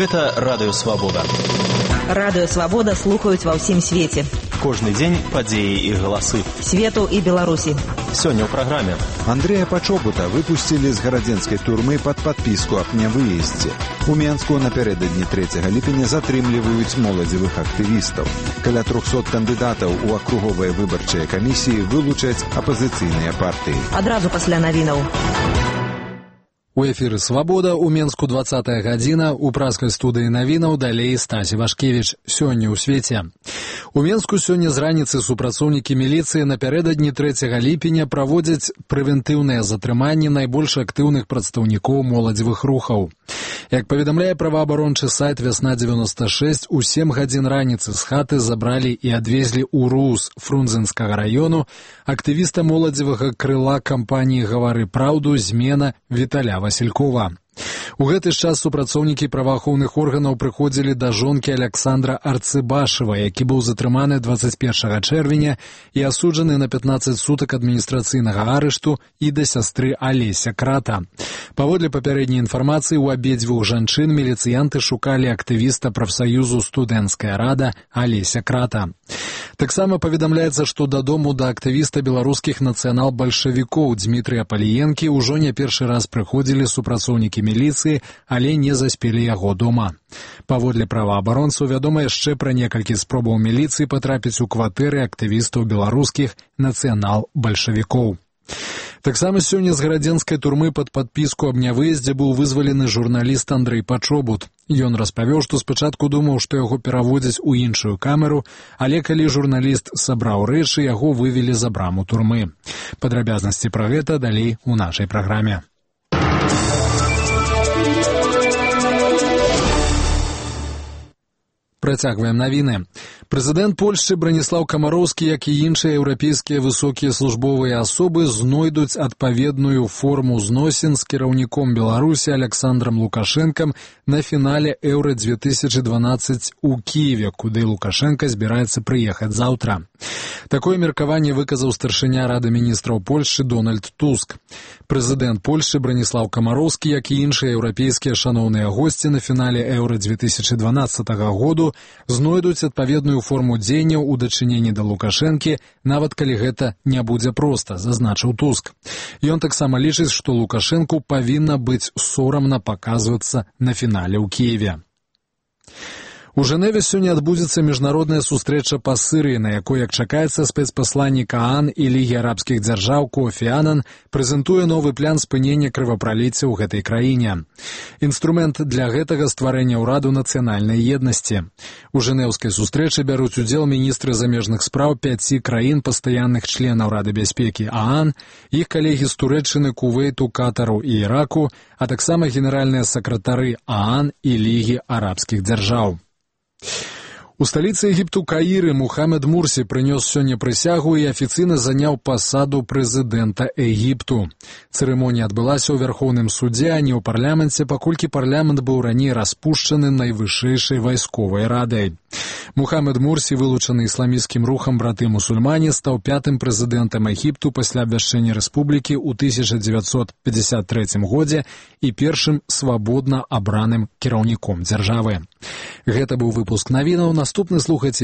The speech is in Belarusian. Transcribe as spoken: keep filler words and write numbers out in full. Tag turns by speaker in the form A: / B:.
A: Гэта Радыё Свабода.
B: Радыё Свабода слухаюць ва ўсім свеце.
A: Кожны дзень падзеі і галасы.
B: Свету і Беларусі.
A: Сёння ў праграме.
C: Андрэя Пачобута выпусцілі з гарадзенскай турмы пад падпіску аб нявыездзе. У Менску напярэдадні трэцяга ліпеня затрымліваюць моладзевых актывістаў. Каля трохсот кандыдатаў у акруговыя выбарчыя камісіі вылучаць апазіцыйныя партыі.
B: Адразу пасля навінаў.
D: У эфіры «Свабода», у Менску двадцатая гадзіна, у праскай студыі навінаў далей Стасі Вашкевіч. Сёння ў свеце. У Менску сёння з раніцы супрацоўнікі міліцыі напярэдадні трэцяга ліпеня праводзяць прэвентыўныя затрыманні найбольш актыўных прадстаўнікоў моладзевых рухаў. Як паведамляе праваабарончы сайт «Вясна дзевяноста шэсць», у сем гадзін раніцы з хаты забралі і адвезлі ў РУС Фрунзенскага раёну актывіста моладзевага крыла кампаніі «Гавары праўду» «Змена» Віталя Васількова. У гэты ж час супрацоўнікі праваахоўных органаў прыходзілі да жонкі Аляксандра Арцыбашева, які быў затрыманы дваццаць першага чэрвеня і асуджаны на пятнаццаць сутак адміністрацыйнага арышту, і да сястры Алеся Крата. Паводле папярэдняй інфармацыі, у абедзвюх жанчын міліцыянты шукалі актывіста прафсаюзу «Студэнцкая рада» Алеся Крата. Таксама паведамляецца, што дадому да актывіста беларускіх нацыянал-бальшавікоў Дмітрыя Паліенкі ўжо не першы раз прыходзілі супрацоўнікі міліцыі, але не заспелі яго дома. Паводле праваабаронцаў вядома яшчэ пра некалькі спробаў міліцыі патрапіць у кватэры актывістаў беларускіх нацыянал-бальшавікоў. Таксама сёння з гарадзенскай турмы пад падпіску аб нявыездзе быў вызвалены журналіст Андрэй Пачобут. Ён распавёў, што спачатку думаў, што яго пераводзяць у іншую камеру, але калі журналіст сабраў рэчы, яго вывелі за браму турмы. Падрабязнасці пра гэта далей у нашай праграме. Працягваем навіны. Прэзідэнт Польшчы Браніслаў Камароўскі, як і іншыя еўрапейскія высокія службовыя асобы, знойдуць адпаведную форму зносін з кіраўніком Беларусі Аляксандрам Лукашэнкам на фінале Еўра две тысячы дванаццаць у Кіеве, куды Лукашэнка збіраецца прыехаць заўтра. Такое меркаванне выказаў старшыня Рады міністраў Польшчы Дональд Туск. Прэзідэнт Польшчы Браніслаў Камароўскі, як і іншыя еўрапейскія шаноўныя госці на фінале Еўра две тысячы дванаццатага году знойдуць адпаведную форму дзеянняў у дачыненні да Лукашэнкі, нават калі гэта не будзе проста, зазначыў Туск. Ён таксама лічыць, што Лукашэнку павінна быць сорамна паказвацца на фінале ў Кіеве. У Жэневе сёння адбудзецца міжнародная сустрэча па Сырыі, на якой, як чакаецца, спецпасланнік ААН і Лігі арабскіх дзяржаў Кофі Анан прэзентуе новы план спынення крывапраліцця ў гэтай краіне. Інструмент для гэтага стварэння ўраду нацыянальнай еднасці. У жэнеўскай сустрэчы бяруць удзел міністры замежных спраў пяці краін пастаянных членаў Рады бяспекі ААН, іх калегі з Турэччыны, Кувейту, Катару і Іраку, а таксама генеральныя сакратары ААН і Лігі арабскіх дзяржаў. У сталіцы Егіпту Каіры Мухаммед Мурсі прынёс сёння прысягу і афіцыйна заняў пасаду прэзідэнта Егіпту. Цырымонія адбылася ў Вярхоўным судзе, а не ў парламенце, паколькі парламент быў раней распушчаны найвышэйшай вайсковай радай. Мухаммед Мурсі, вылучаны ісламісцкім рухам браты-мусульмане, стаў пятым прэзідэнтам Егіпту пасля абвяшчэння рэспублікі ў тысяча дзевяцьсот пятьдесят трэцім годзе і першым свабодна абраным кіраўніком дзяржавы. Гэта быў выпуск навінаў. Наступны слухайце